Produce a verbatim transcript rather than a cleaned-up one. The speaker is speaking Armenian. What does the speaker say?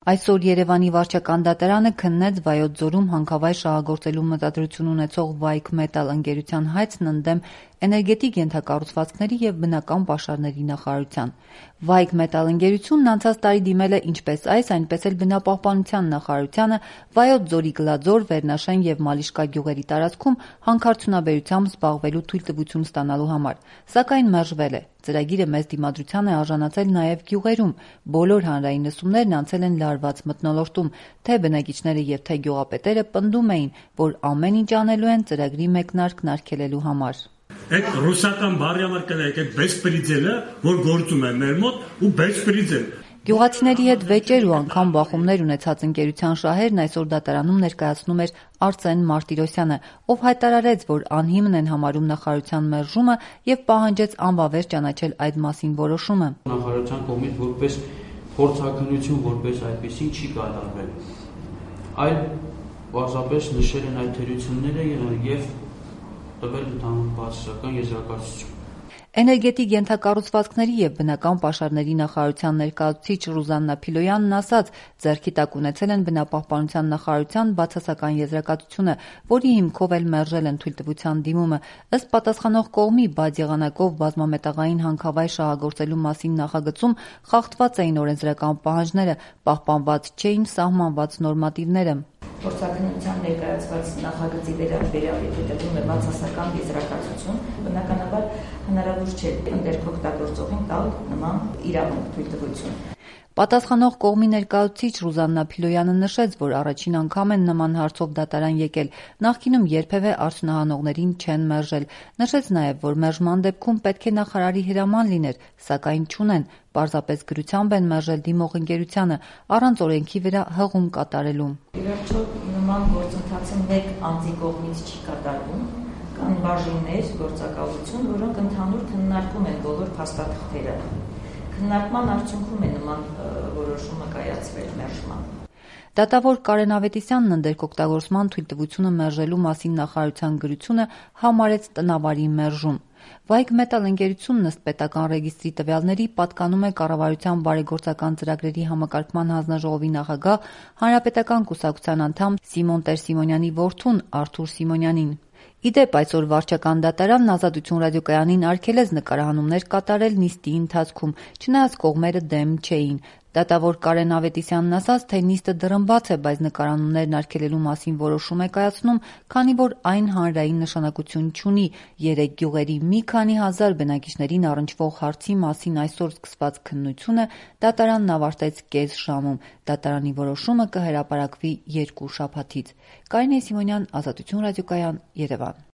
Այսօր Երևանի վարչական դատարանը քննեց Վայոց ձորում հանքավայր շահագործելու մտադրություն ունեցող Վայք Մետալ ընկերության հայցն ընդդեմ էներգետիկ ենթակառուցվածքների և բնական պաշարների նախարարության։ Վայք Մետալ ընկերությունն անցած տարի դիմել է ինչպես այս, այնպես էլ բնապահպանության նախարարությանը Վայոց ձորի Գլաձոր, Վերնաշեն և Մալիշկա գյուղերի տարածքում հանքարդյունաբերությամբ զբաղվելու թույլտվություն ստանալու համար, սակայն մերժվել է։ Ծրագիրը մեծ դիմադրության է արժանացել նաև գյուղերում։ Բոլոր հանրային լսումներն անցել են լարված մթնոլորտում, թե բնակիչները և թե գյուղապետերը պնդում էին, որ ամեն ինչ անելու են ծրագրի մեկնարկն արգելելու համար։ Այդ ռուսական բառի համար կնայեք, այդ բեսպրիձելը, որ գործում է մեր մոտ, ու բեսպրիձել։ Գյուղացիների հետ վեճեր ու անգամ բախումներ ունեցած ընկերության շահերն այսօր դատարանում ներկայացնում էր Արսեն Մարտիրոսյանը, ով հայտարարեց, որ անհիմն են համարում նախարարության մերժումը և պահանջեց անվավեր ճանաչել այդ մասին որոշումը։ Նախարարության կողմից որպես փորձաքննություն, որպես այդպեսին չի կատարվել, այլ պարզապես նշել են այդ թերությունները և տվել ընդհանուր բացասական եզրակացություն։ Էներգետիկ ենթակառուցվածքների և բնական պաշարների նախարարության ներկայացուցիչ Ռուզաննա Փիլոյանն ասաց, ձեռքի տակ ունեցել են բնապահպանության նախարարության բացասական եզրակացությունը, որի հիմքով էլ մերժել են թույլտվության դիմումը։ Ըստ պատասխանող կողմի, բաց եղանակով բազմամետաղային հանքավայր շահագործելու մասին նախագծում խախտված էին օրենսդրական պահանջները, պահպանված չէին սահմանված նորմատիվները։ Փորձաքննության ներկայացված նախագծի վերաբերյալ եթե տրվում է բացասական եզրակացություն, բնականաբար հնարավոր չէ ներքօգտագործողին տալ նման իրավունք թույլտվություն։ Պատասխանող կողմի ներկայացուցիչ Ռուզաննա Փիլոյանը նշեց, որ առաջին անգամ են նման հարցով դատարան եկել, նախկինում երբևէ արդյունահանողներին չեն մերժել։ Նշեց նաև, որ մերժման դեպքում պետք է նախարարի հրաման լիներ, սակայն չունեն, պարզապես գրությամբ են մերժել դիմող ընկերությանը, առանց օրենքի վրա հղում կատարելու։ Ի վերջո նման գործընթացը մեկ անձի կողմից չի կատարվում, կան բաժիններ, գործակալություն, որոնք ընդհանուր քննարկում են բոլոր փաստաթղթերը։ Քննարկման արդյունքում է նման որոշումը կայացվել մերժման։ Դատավոր Կարեն Ավետիսյանն ընդերքօգտագործման թույլտվությունը մերժելու մասին նախարարության գրությունը համարեց տնավարի մերժում։ Վայք Մետալ ընկերությունն ըստ պետական ռեգիստրի տվյալների պատկանում է Կառավարության բարեգործական ծրագրերի համակարգման հանձնաժողովի նախագահ, Հանրապետական կուսակցության անդամ Սիմոն Տեր-Սիմոնյանի որդուն Արթուր Սիմոնյանին։ Ի դեպ, այսօր վարչական դատարանն Ազատություն ռադիոկայանին արգելեց նկարահանումներ կատարել նիստի ընթացքում, չնայած կողմերը դեմ չէին։ Դատավոր Կարեն Ավետիսյանն ասաց, թե նիստը դռնբաց է, բայց նկարահանումներն արգելելու մասին որոշում է կայացնում, քանի որ այն հանրային նշանակություն չունի։ Երեք գյուղերի մի քանի հազար բնակիչներին առնչվող հարցի մասին այսօր սկսված քննությունը դատարանն ավարտեց կես ժամում։ Դատարանի որոշումը կհրապարակվի երկու շաբաթից։ Կարինե Սիմոնյան, Ազատություն ռադիոկայան, Երևան։